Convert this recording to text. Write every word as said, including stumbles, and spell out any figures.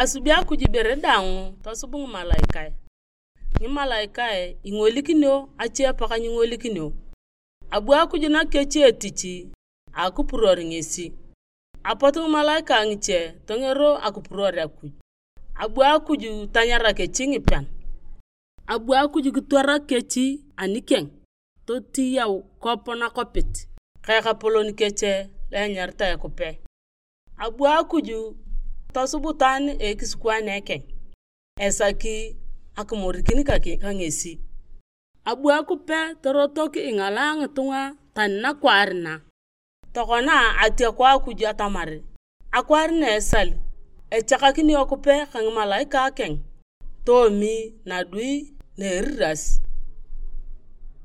Asubi Akuj ibere daang tosub ngimalaikae. Ngimalaikae ingolikinio ache apaka nyingolikinio. Abu Akuj nakichi etich a akipuror ngesi. Apot ngimalaikae ngiche tongero akipuror Akuj. Abu Akuj tanyara kechi ngipean. Abu Akuj kitwara kechi anikeng totiyau kop nakopit ka ekapolon kech lo enyaritae Kupe. Abu Akuj tosub itaan a ekisikwaane keng esaki akimorikin ka ngesi. Abu Akupe torotok ingalaa ngitunga tani nakwaar na. Tokona atiaku Akuj atamar akwaar na esal echakakini Akupe ka ngimalaikae keng toomi nadui na eriras.